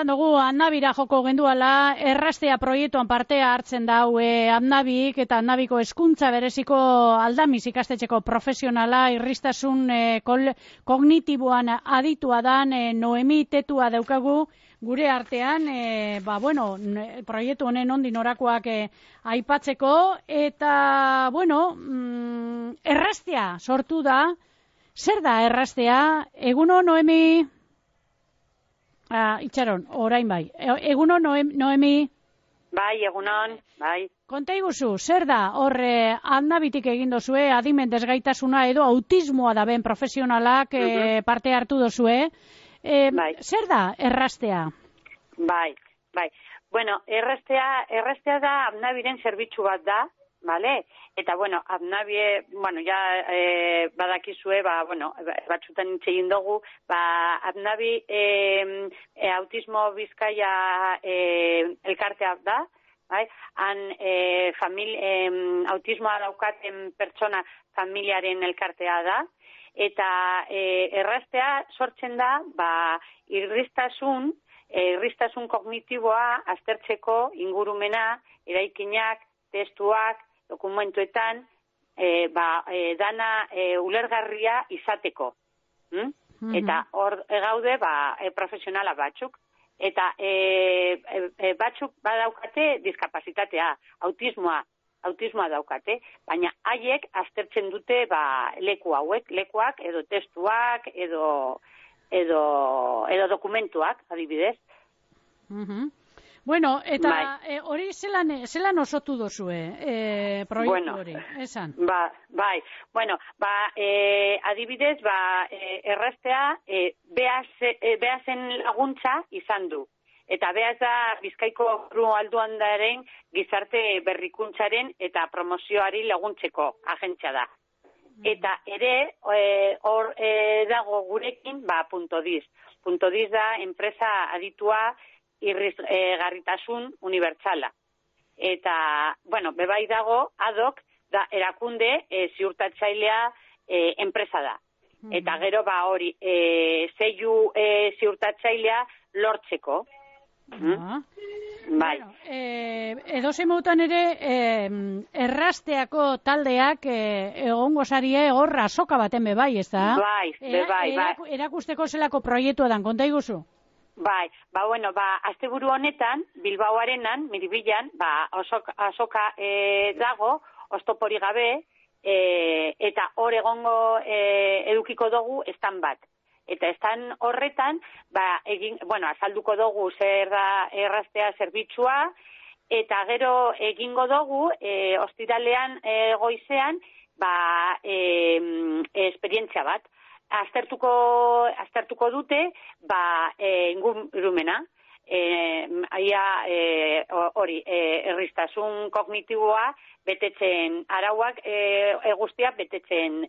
esan dugu, Annabira joko genduala, errastea proiektuan partea hartzen dau Annabik, eta Annabiko hezkuntza bereziko aldamiz ikastetxeko profesionala, irristasun kognitiboan aditua dan, Noemi Tetua daukagu, gure artean, proiektu honen ondin orakoak aipatzeko, eta, errastea sortu da. Zer da errastea? Eguno, Noemi? Itxaron, orain bai. Eguno, Noemi? Bai, egunon, bai. Konta iguzu, zer da horre Annabitik egin dozue, adimen desgaitasuna edo autismoa da ben profesionalak parte hartu dozue. Bai. Zer da errastea? Bai. Bueno, errastea da Annabiren zerbitzu bat da, vale? Eta, Annabie, badakizue, batzutan hitz egin dugu, Annabi autismo Bizkaia elkartea da, bai? Han autismoa daukaten pertsona familiaren elkartea da, eta errastea sortzen da, irristasun kognitiboa aztertzeko ingurumena, eraikinak, testuak, dokumentuetan, dana ulergarria izateko. Eta hor gaude, profesionala batzuk. Eta batzuk badaukate diskapazitatea, autismoa daukate, baina haiek aztertzen dute lekuak edo testuak edo dokumentuak, adibidez. Bueno, eta hori zelan osotu dozue proiektu hori, esan? Bai, adibidez, errastea behazen laguntza izan du. Eta behaz da Bizkaiko Foru Alduandaren gizarte berrikuntzaren eta promozioari laguntzeko agentzia da. Eta ere, hor dago gurekin, .diz. .diz da enpresa aditua irrigarritasun unibertsala. Eta, bebai dago, adok, da erakunde ziurtatzailea enpresa da. Eta gero, hori, zeiu ziurtatzailea lortzeko. Bai. Edozein modutan ere, errasteako taldeak egongo sarie hor azoka baten bebai, ez da? Bai. Erakusteko zelako proiektua dan, konta iguzu? Bai, asteburu honetan, Bilbao Arenan, Miribilan, azoka dago, oztopori gabe, eta hor egongo edukiko dugu estan bat. Eta estan horretan, azalduko dugu zer da errastea zerbitzua, eta gero egingo dugu, ostiralean goizean, esperientzia bat. Aztertuko dute, ingurumena, hori, erristasun kognitiboa betetzen, arauak guztiak betetzen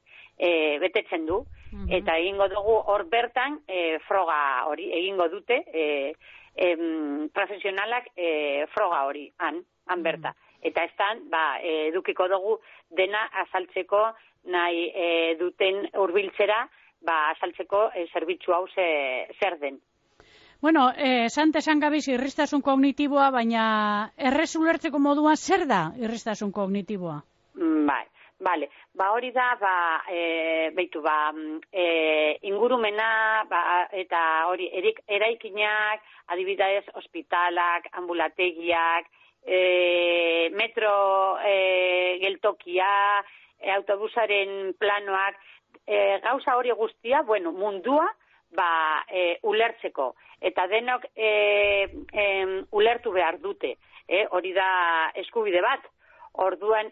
du. Eta egingo dugu hor bertan froga hori, egingo dute profesionalak froga hori, han berta. Eta estan, edukiko dugu dena azaltzeko nahi duten hurbiltzera, azaltzeko zerbitzu hau zer den. Bueno, esan gabiz irristasun kognitiboa, baina errez ulertzeko moduan zer da irristasun kognitiboa? Bale, hori da, ingurumena, eta hori, eraikinak, adibidez, ospitalak, ambulategiak, metro geltokia, autobusaren planoak, gauza hori guztia, mundua, ulertzeko. Eta denok ulertu behar dute, hori da eskubide bat. Orduan,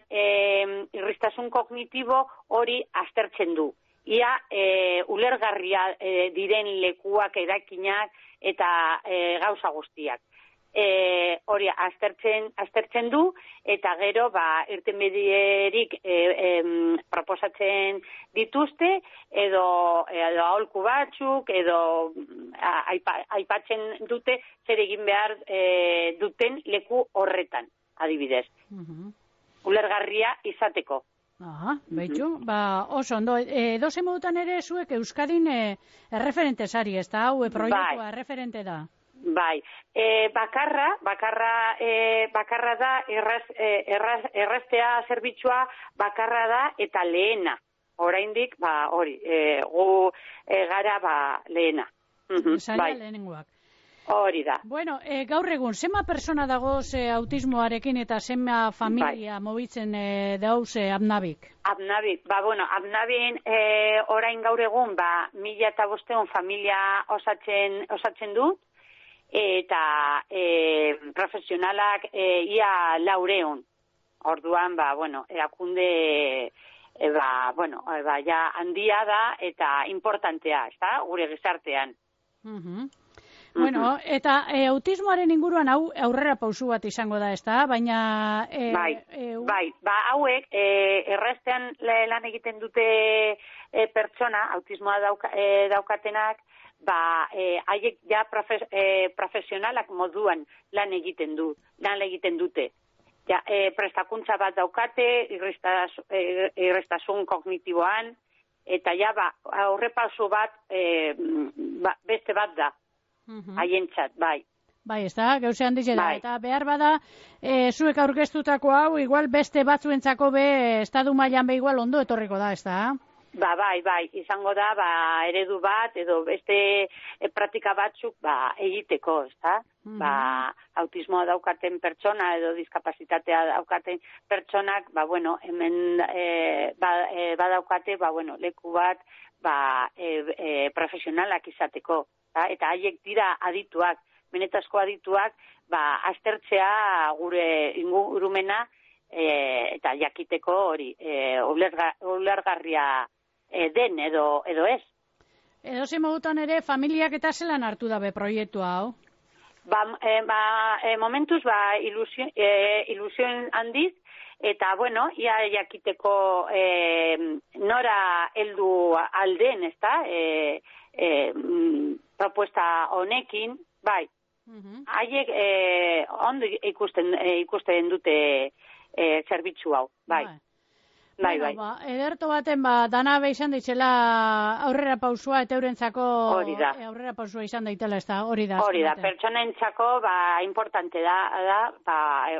irristasun kognitibo hori aztertzen du. Ia ulergarria diren lekuak, erakinak eta gauza guztiak. Hori aztertzen du, eta gero irtenbiderik proposatzen dituzte, edo aholku batzuk, edo aipatzen dute zer egin behar duten leku horretan, adibidez. Ulergarria izateko. Beitu, oso ondo. Edozein modutan ere zuek Euskadin erreferente sari, ez da? Hau proiektua erreferente da. Bai, bakarra da erraztea zerbitzua bakarra da eta lehena. Oraindik, hori, gu gara, lehena. Zaila lehenengoak. Hori da. Bueno, gaur egun, zema persona dagoz autismoarekin eta zema familia mobitzen dauz Apnabik? Apnabik, Apnabin orain gaur egun, 1.500 familia osatzen du, eta profesionalak ia 400. Orduan, erakunde ja handia da eta importantea, ezta? Gure gizartean. Bueno, eta autismoaren inguruan aurrera pausu bat izango da, ezta? Baina... hauek erraztean lan egiten dute pertsona, autismoa daukatenak, haiek ja profesionalak moduan lan egiten dute. Ja, prestakuntza bat daukate, irrestasun kognitiboan, eta ja, aurrepauso bat, beste bat da, haientzat, bai. Bai, ez da, gauze handize da, eta behar bada, zuek aurkeztutako hau, igual beste batzuentzako estadu mailan igual ondo etorriko da, ez da? Bai, izango da, eredu bat, edo beste praktika batzuk, egiteko, ez da? Autismoa daukaten pertsona, edo diskapazitatea daukaten pertsonak, hemen badaukate, leku bat, profesionalak izateko, eta haiek dira adituak, benetazko adituak, aztertzea gure ingurumena, eta jakiteko hori, ulergarria den edo ez. Edo ze modutan ere, familiak eta zelan hartu dabe proiektu hau? Momentuz, ilusioen handiz, eta, ia jakiteko nora heldu alden, ez da, propuesta honekin, bai. Haiek ondo ikusten dute zerbitzu hau, bai. Bai. Ederto baten, dana izan ditzela aurrera pausua eta eurentzako aurrera pausua izan daitela, ez da, hori da. Hori da, pertsonentzako, importante da,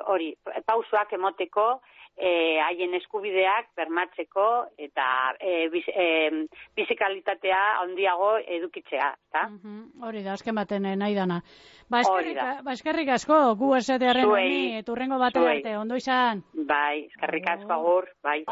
hori, pausuak emoteko, haien eskubideak bermatzeko eta bizikalitatea handiago edukitzea, ezta? Hori da, azken baten nahi dana. Eskerrik asko, gu esatearen honi, eturrengo batera arte, ondo izan. Bai, eskerrik asko agur, bai.